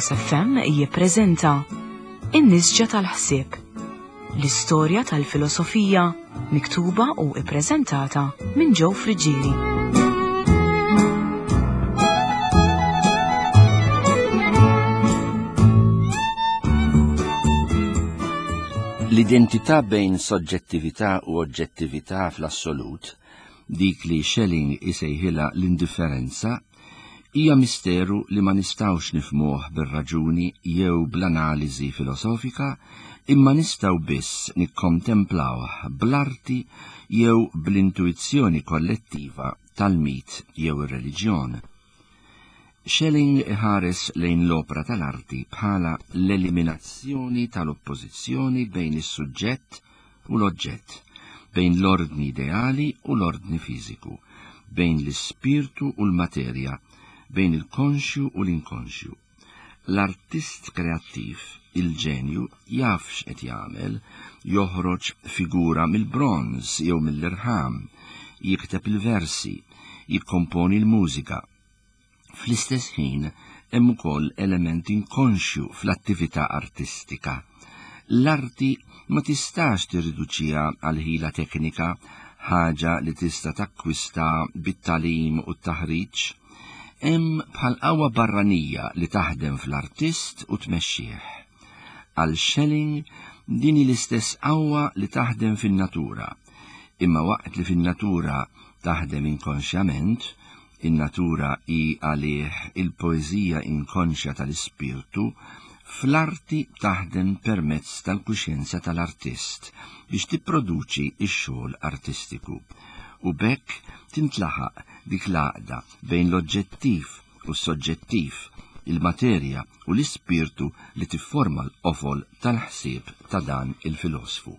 Caritas FM jippreżenta In-Nisġa tal-Ħsieb, l-istorja tal-filosofija miktuba u ippreżentata minn Joe Friggieri. L-identità bejn soġġettività u oġġettività fl-assolut, dik li Schelling isejħilha l-indifferenza, hija misteru li ma nistgħux nifhmuh bir-raġuni jew bl-analiżi filosofika, imma nistgħu biss nikkontemplawh bl-arti jew bl-intuizzjoni kollettiva tal-mit jew ir-reliġjon. Schelling iħares lejn l-opra tal-arti bħala l-eliminazzjoni tal-oppożizzjoni bejn is-suġġett u l-oġġett, bejn l-ordni ideali u l-ordni fiżiku, bejn l-ispirtu u l-materja, bejn il-konxju u l-inkonxju. L-artist kreattiv, il-ġenju, jaf x'qed jagħmel, joħroġ figura mill-bronż jew mill-irħam, jikteb il-versi, jikkomponi l-mużika. Fl-istess ħin hemm ukoll element inkonxju fl-attività artistika. L-arti ma tistax tirriduċiha għal ħila teknika, ħaġa li tista' takkwista bit-tagħlim u t-taħriġ. Hemm bħal qawwa barranija li taħdem fl-artist u tmexxih. Għal Schelling din hi l-istess qawwa li taħdem fin-natura, imma waqt li fin-natura taħdem inkonxjament, in-natura hi għalih il-poeżija inkonxja tal-ispirtu, fl-arti taħdem permezz tal-kuxjenza tal-artist biex tipproduċi x-xogħol artistiku u b'hekk tintlaħaq dik l-għaqda bejn l-oġġettiv u s-soġġettiv, il-materja u l-ispirtu li tifforma l-qofol tal-ħsieb ta' dan il-filosfu.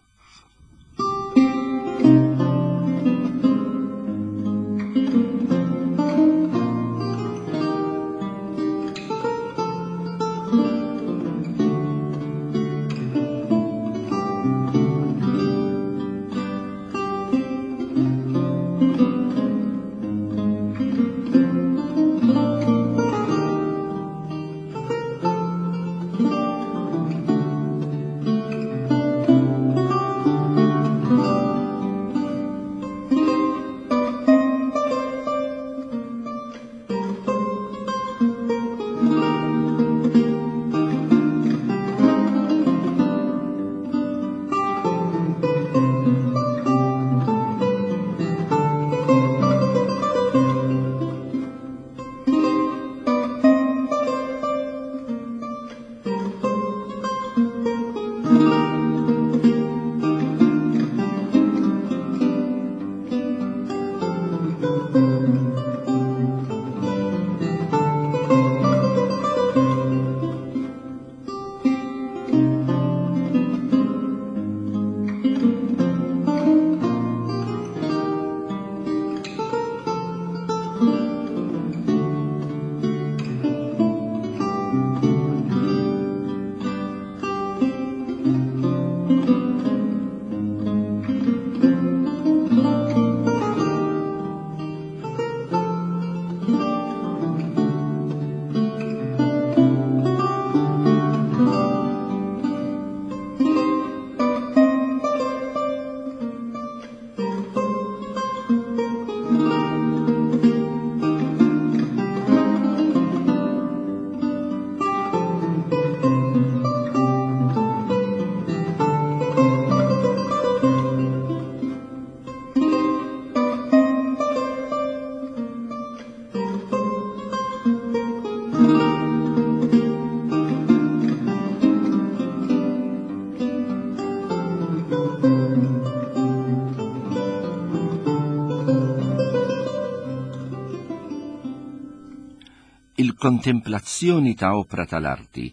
Il-kontemplazzjoni ta' opra tal-arti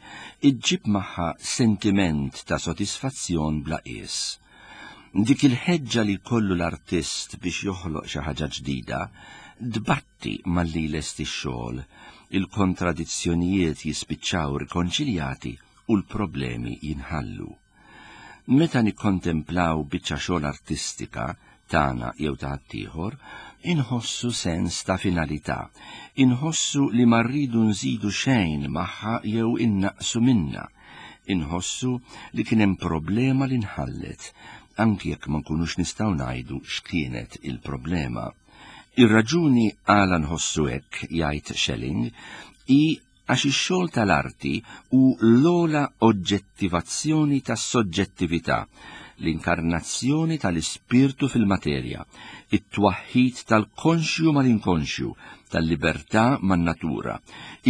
iġġib magħha sentiment ta' sodisfazzjon bla qies. Dik il-ħeġġa li jkollu l-artist biex joħloq xi ħaġa ġdida tbatti malli jlesti x-xogħol, il-kontradizzjonijiet jispiċċaw rikonċiljati u l-problemi jinħallu. Meta nikkontemplaw biċċa xogħol artistika, tagħna jew ta' ħaddieħor, inħossu sens ta' finalità, inħossu li ma rridu nżidu xejn magħha jew innaqqsu minnha, inħossu li kien hemm problema li nħallet, anki jekk ma nkunux nistgħu ngħidu x'kienet il-problema. Ir-raġuni għala nħossu hekk, jgħid Schelling, hi għax ix-xogħol tal-arti hu l-ogħla oġġettivazzjoni tas-soġġettività, l-inkarnazzjoni tal-ispirtu fil-materja, it-twaħħid tal-konxju mal-inkonxju, tal-libertà man-natura,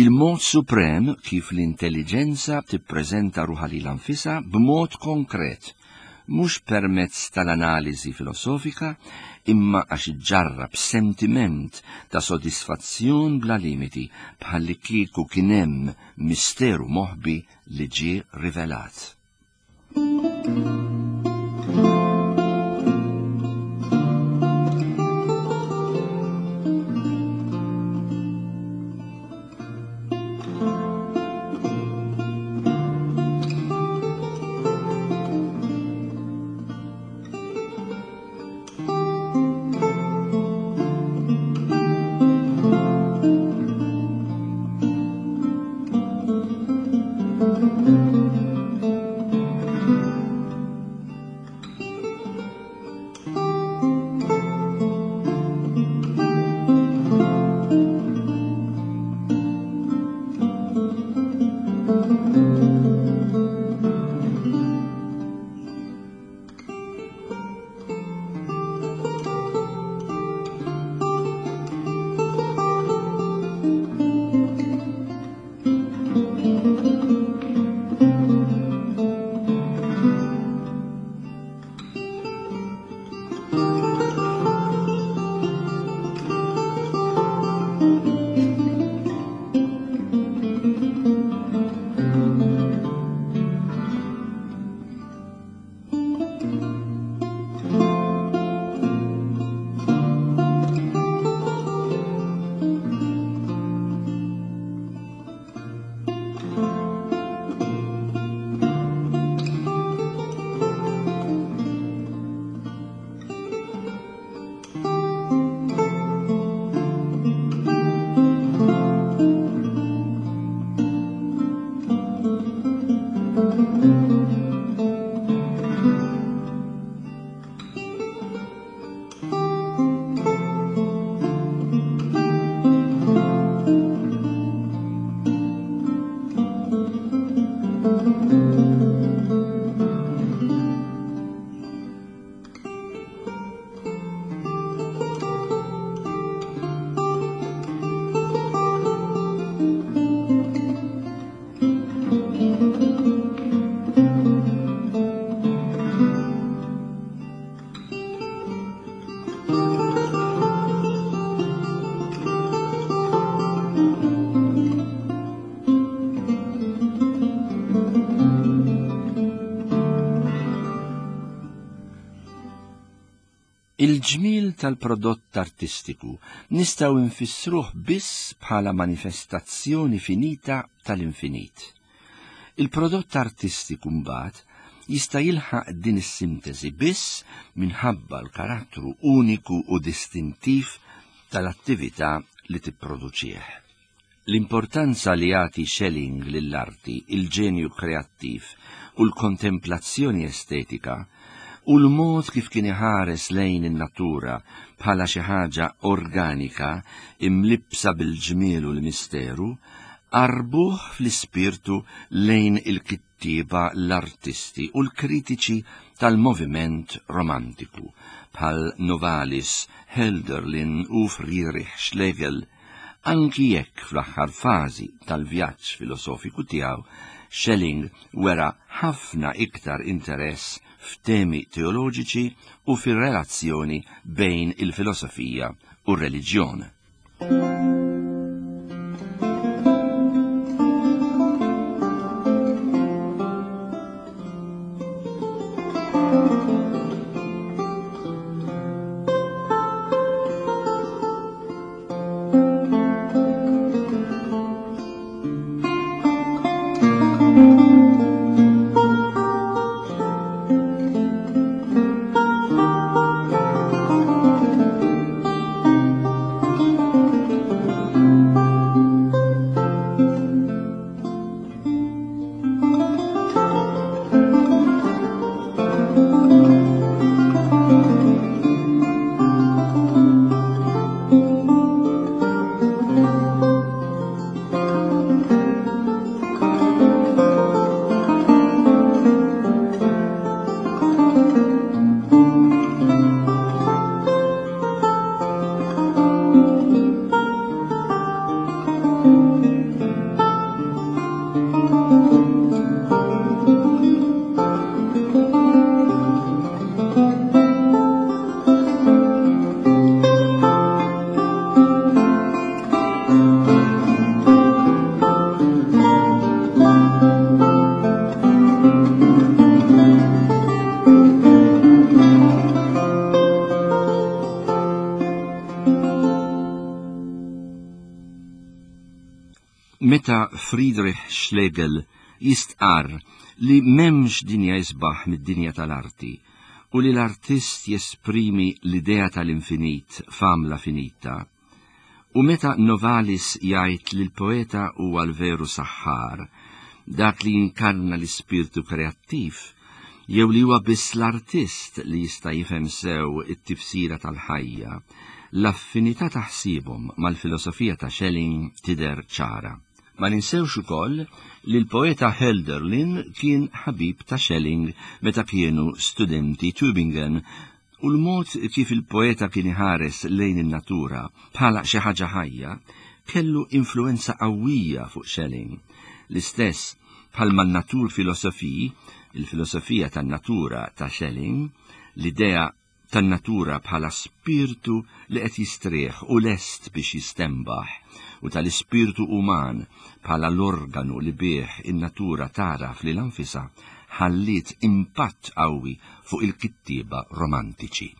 il-mod suprem kif l-intelliġenza tippreżenta ruħha lilha nfisha b'mod konkret, mhux permezz tal-analiżi filosofika imma għax iġġarrab sentiment ta' sodisfazzjon bla limiti bħallikieku kien hemm misteru moħbi li ġie rivelat. Il-ġmiel tal-prodott artistiku nistgħu nfissruh biss bħala manifestazzjoni finita tal-infinit. Il-prodott artistiku mbagħad jista' jilħaq din is-sintesi biss minħabba l-karattru uniku u distintiv tal-attività li tipproduċih. L-importanza li jagħti Schelling lill-arti, il-ġenju kreattiv u l-kontemplazzjoni estetika, u l-mod kif kien iħares lejn in-natura bħala xi ħaġa organika imlibbsa bil-ġmiel u l-misteru, qarrbuh fl-ispirtu lejn il-kittieba, l-artisti u l-kritiċi tal-moviment Romantiku, bħal Novalis, Hölderlin u Friedrich Schlegel, Anki jekk fl-aħħar fażi tal-vjaġġ filosofiku tiegħu Schelling wera ħafna iktar interess f'temi teoloġiċi u fir-relazzjoni bejn il-filosofija u r-reliġjon. Meta Friedrich Schlegel jistqarr li m'hemmx dinja isbaħ mid-dinja tal-arti u li l-artist jesprimi l-idea tal-infinit f'għamla finita, u meta Novalis jgħid li l-poeta huwa l-veru saħħar, dak li jinkarna l-ispirtu kreattiv, jew li huwa biss l-artist li jista' jifhem sew it-tifsira tal-ħajja, l-affinità ta' ħsiebhom mal-filosofija ta' Schelling tidher ċara. Ma ninsewx ukoll li l-poeta Hölderlin kien ħabib ta' Schelling meta kienu studenti Tübingen u l-mod kif il-poeta kien iħares lejn in-natura bħala xi ħaġa ħajja kellu influwenza qawwija fuq Schelling. L-istess bħalma n-Naturphilosophie, il-filosofija tan-natura ta' Schelling, l-idea tan-natura bħala spirtu li qed jistrieħ u lest biex jistenbaħ, u tal-ispirtu uman bħala l-organu li bih in-natura tagħraf lilha nfisha, ħalliet impatt qawwi fuq il-kittieba Romantiċi.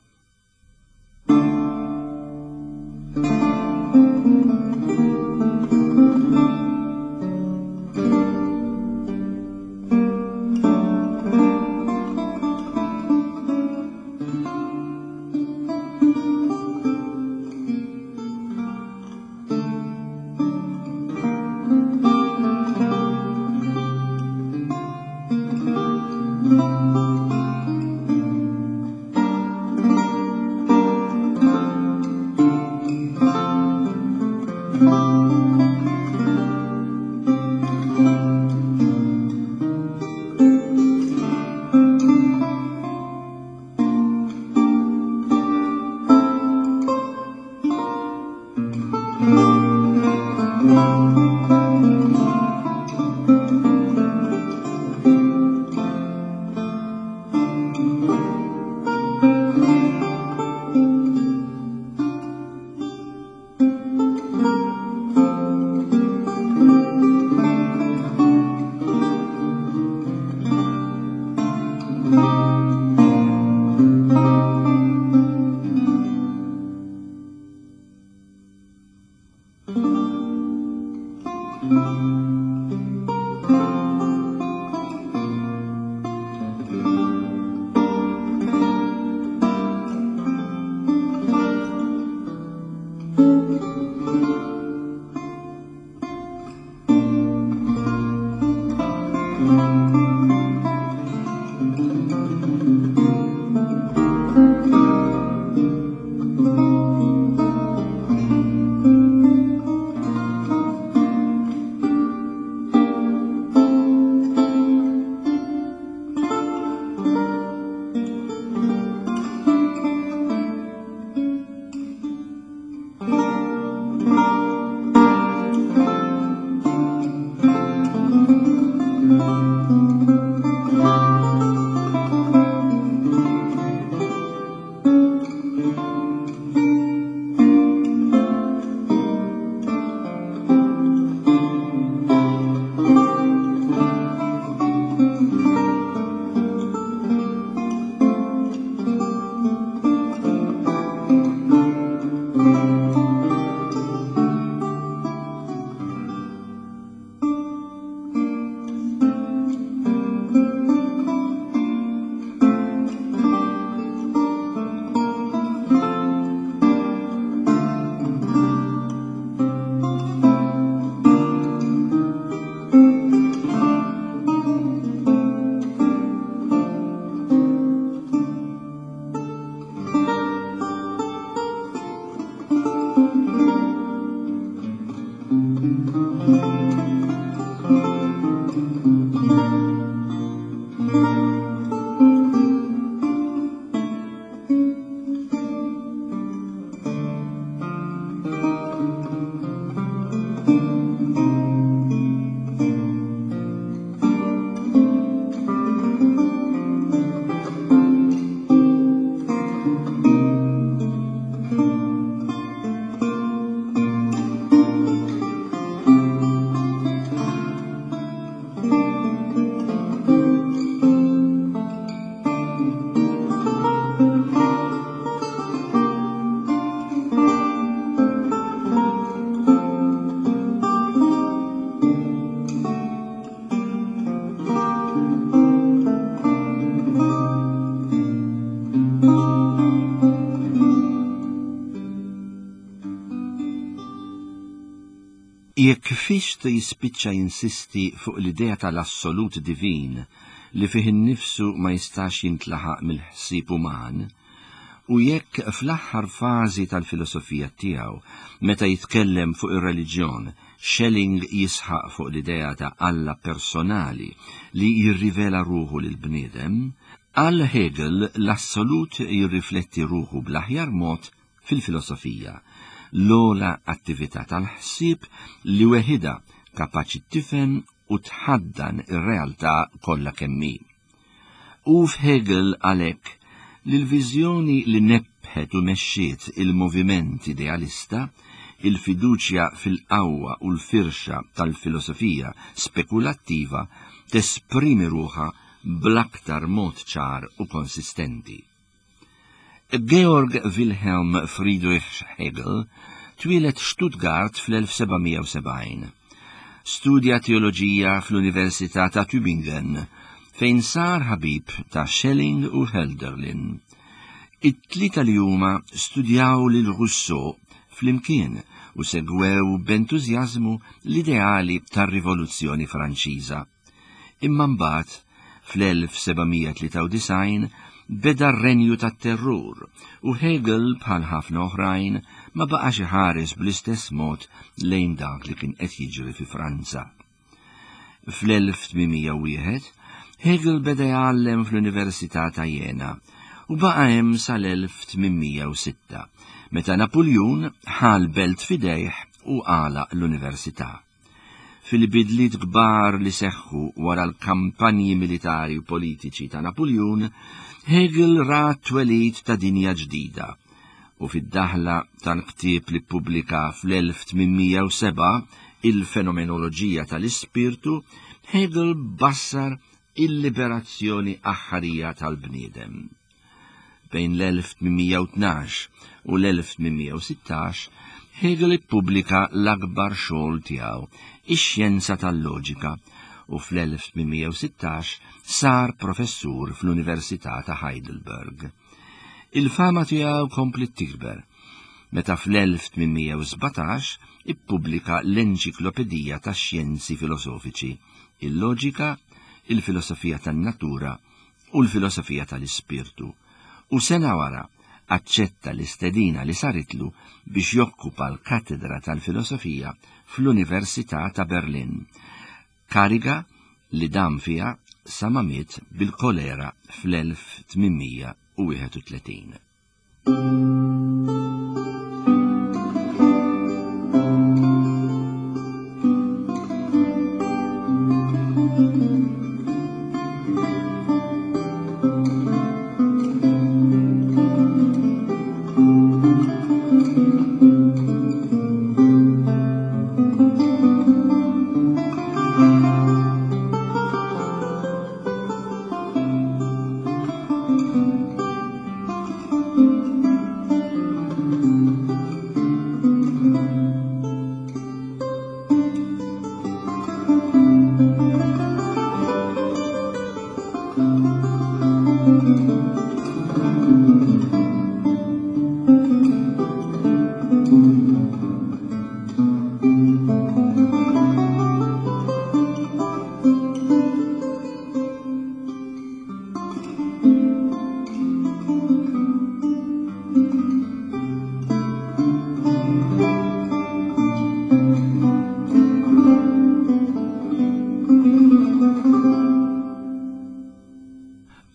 Jekk Fichte jispiċċa jinsisti fuq l-idea tal-assolut divin li fih innifsu ma jistax jintlaħaq mill-ħsieb uman, u jekk fl-aħħar fażi tal-filosofija tiegħu, meta jitkellem fuq ir-reliġjon, Schelling jisħaq fuq l-idea ta' Alla personali li jirrivela ruħu lill-bniedem, għal Hegel l-assolut jirrifletti ruħu bl-aħjar mod fil-filosofija, l-ogħla attività tal-ħsieb li weħidha kapaċi tifhem u tħaddan ir-realtà kollha kemm hi. Hu f'Hegel għalhekk li l-viżjoni li nebbħet u mexxiet il-moviment idealista, il-fiduċja fil-qawwa u l-firxa tal-filosofija spekulattiva tesprimi ruħha bl-aktar mod ċar u konsistenti. Georg Wilhelm Friedrich Hegel twieled Stuttgart fl-1770. Studja teoloġija fl-Università ta' Tübingen, fejn sar ħabib ta' Schelling u Hölderlin. It-tlieta li huma studjaw lil Rousseau flimkien u segwew b'entużjażmu l-ideali tar-Rivoluzzjoni Franċiża. Imma mbagħad, fl-1793, beda r-renju tat-terrur u Hegel bħal ħafna oħrajn ma baqax iħares bl-istess mod lejn dak li kien qed jiġri fi Franza. Fl-1801, Hegel beda jgħallem fl-Università ta' Jena u baqa' hemm sal-1806, meta Napuljun ħa l-belt f'idejh u għalaq l-università. Fil-bidliet kbar li seħħu wara l-kampanji militari u politiċi ta' Napuljun, Hegel ra t-twelid ta' dinja ġdida u fid-daħla tal-ktieb li ppubblika fl-1807 Il-Fenomenoloġija tal-Ispirtu, Hegel bassar il-liberazzjoni aħħarija tal-bniedem. Bejn l-1812 u l-1816, Hegel ippubblika l-akbar xogħol tiegħu, Ix-Xjenza tal-Loġika, u fl-1816 sar professur fl-Università ta' Heidelberg. Il-fama tiegħu kompliet tikber meta fl-1817 ippubblika l-Enċiklopedija tax-Xjenzi Filosofiċi, il-Loġika, il-Filosofija tan-Natura u l-filosofija tal-ispirtu, u sena wara aċċetta l-istedina li saritlu biex jokkupa l-katedra tal-filosofija fl-Università ta' Berlin, kariga li dam fiha sa ma miet bil-kolera fl-1831.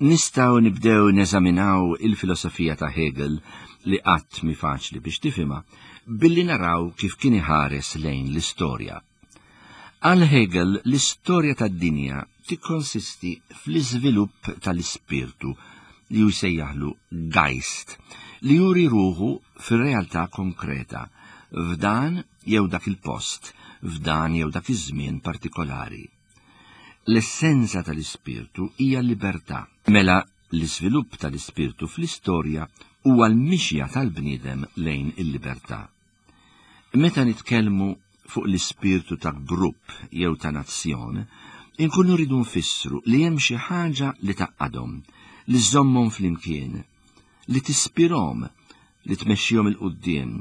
Nistgħu nibdew neżaminaw il-filosofija ta' Hegel li qatt mi faċli biex tifhimha billi naraw kif kien iħares lejn l-istorja. Għal Hegel l-istorja tad-dinja tikkonsisti fl-iżvilupp tal-ispirtu li hu jsejjaħlu Geist, li juri ruħu fir-realtà konkreta, f'dan jew dak il-post, f'dan jew dak iż-żmien partikolari. L-essenza tal-ispirtu hija l-libertà. Mela l-iżvilupp tal-ispirtu fl-istorja huwa l-mixja tal-bniedem lejn il-libertà. Meta nitkellmu fuq l-ispirtu ta' grupp jew ta' nazzjon, inkunu rridu nfissru li hemm xi ħaġa li tgħaqqadhom, li żżommhom flimkien, li tispirhom, li tmexxihom 'il quddiem,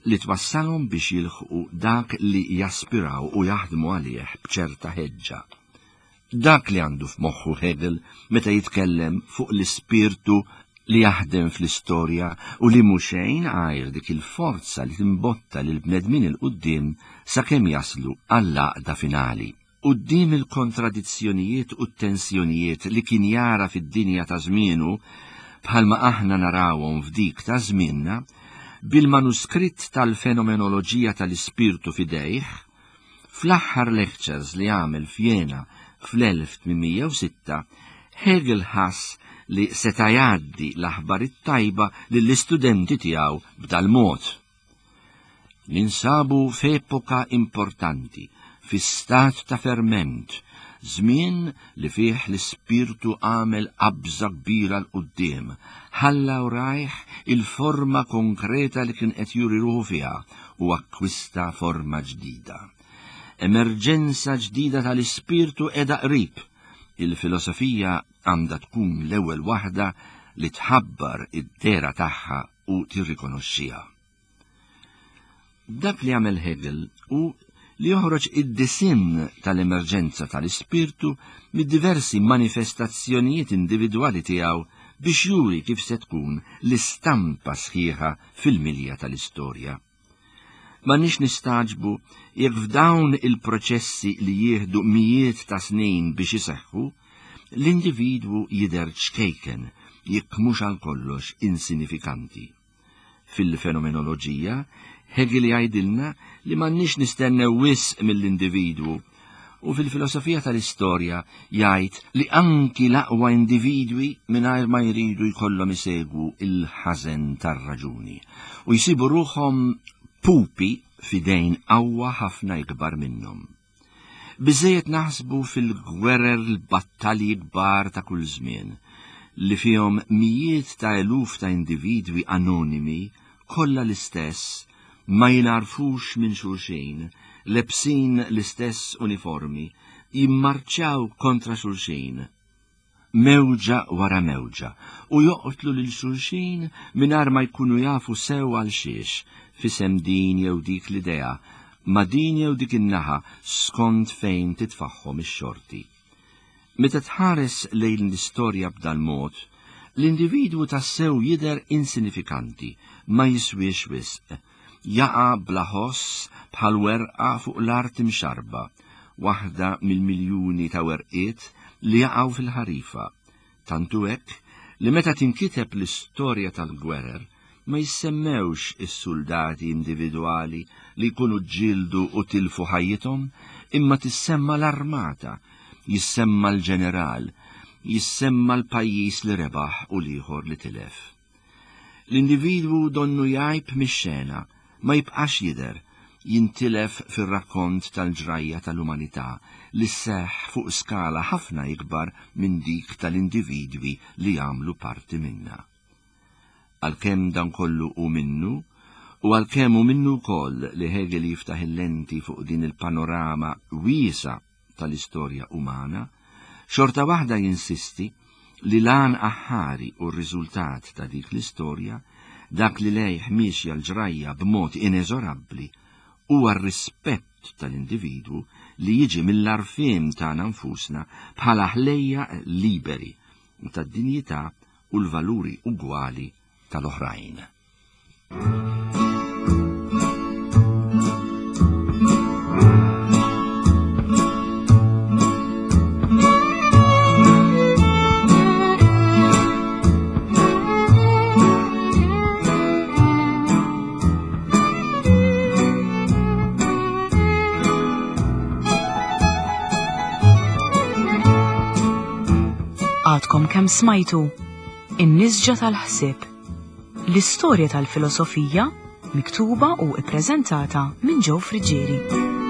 li twassalhom biex jilħqu dak li jaspiraw u jaħdmu għalih b'ċerta ħeġġa. Dak li għandu f'moħħu Hegel meta jitkellem fuq l-ispirtu li jaħdem fl-istorja u li mhu xejn għajr dik il-forza li timbotta lill-bnedmin 'il quddiem sakemm jaslu għall-għaqda finali. Quddiem il-kontradizzjonijiet u t-tensjonijiet li kien jara fid-dinja ta' żmienu, bħalma aħna narawhom f'dik ta' żmienna, bil-manuskritt tal-Fenomenoloġija tal-Ispirtu f'idejh, Fl-aħħar lectures li għamel f'Jena fl-1806, Hegel ħass li seta' jgħaddi l-aħbar it-tajba lill-istudenti tiegħu b'dal-mod. Ninsabu f'epoka importanti, fi stat ta' ferment, żmien li fih l-ispirtu għamel qabża kbira 'l quddiem, ħalla wrajh il-forma konkreta li kien qed juri ruħu fiha u akkwista forma ġdida. Emerġenza ġdida tal-ispirtu qiegħda qrib. Il-filosofija għandha tkun l-ewwel waħda li tħabbar id-dehra tagħha u tirrikonoxxiha. Dak li għamel Hegel hu li joħroġ id-disinn tal-emerġenza tal-ispirtu mid-diversi manifestazzjonijiet individwali tiegħu biex juri kif se tkun l-istampa sħiħa fil-milja tal-istorja. M'għandniex nistagħġbu jekk f'dawn il-proċessi li jieħdu mijiet ta' snin biex iseħħu, l-individwu jidher ċkejken jekk mhux għal kollox insinifikanti. Fil-fenomenoloġija, Hegel jgħidilna li m'għandniex nistennew wisq mill-individwu u fil-filosofija tal-istorja jgħid li anki l-aqwa individwi mingħajr ma jridu jkollhom isegwu il-ħażen tar-raġuni u jsibu ruħhom pupi f'idejn qawwa ħafna ikbar minnhom. Biżżejjed naħsbu fil-gwerer l-battalji kbar ta' kull żmien, li fihom mijiet ta' eluf ta' individwi anonimi, kollha l-istess, ma jingħarfux minn xulxin, lebsin l-istess uniformi, jimmarċjaw kontra xulxin, mewġa wara mewġa, u joqtlu lil xulxin mingħajr ma jkunu jafu sew għal xiex, f'isem din jew dik l-idea, ma' din jew dik in-naħa skont fejn titfagħhom ix-xorti. Meta tħares lejn l-istorja b'dal-mod, l-individwu tassew jidher insinifikanti, ma jiswiex wisq, jaqa' bla ħoss bħal werqa fuq l-art imxarrba, waħda mill-miljuni ta' werqiet li jaqgħu fil-ħarifa. Tant hu hekk li meta tinkiteb l-istorja tal-gwerer ma jissemmewx is-suldati individwali li jkunu ġġieldu u tilfu ħajjithom imma tissemma l-armata, jissemma l-ġeneral, jissemma l-pajjiż li rebaħ u l-ieħor li tilef. L-individwu donnu jgħib mix-xena, ma jibqax jidher, jintilef fir-rakkont tal-ġrajja tal-umanità li sseħħ fuq skala ħafna ikbar minn dik tal-individwi li jagħmlu parti minnha. Għalkemm dan kollu hu minnu, u għalkemm hu minnu wkoll li Hegel jiftaħ il-lenti fuq din il-panorama wiesgħa tal-istorja umana, xorta waħda jinsisti li l-għan aħħari u r-riżultat ta' dik l-istorja, dak li lejh miexja l-ġrajja b'mod ineżorabbli, huwa r-rispett tal-individwu li jiġi mill-għarfien tagħna nfusna bħala ħlejjaq liberi u tad-dinjità u l-valuri ugwali tal-oħrajn. Għadkom kemm smajtu In-nisġa tal-ħsieb. L-istorja tal-filosofija miktuba u ippreżentata minn Joe Friggieri.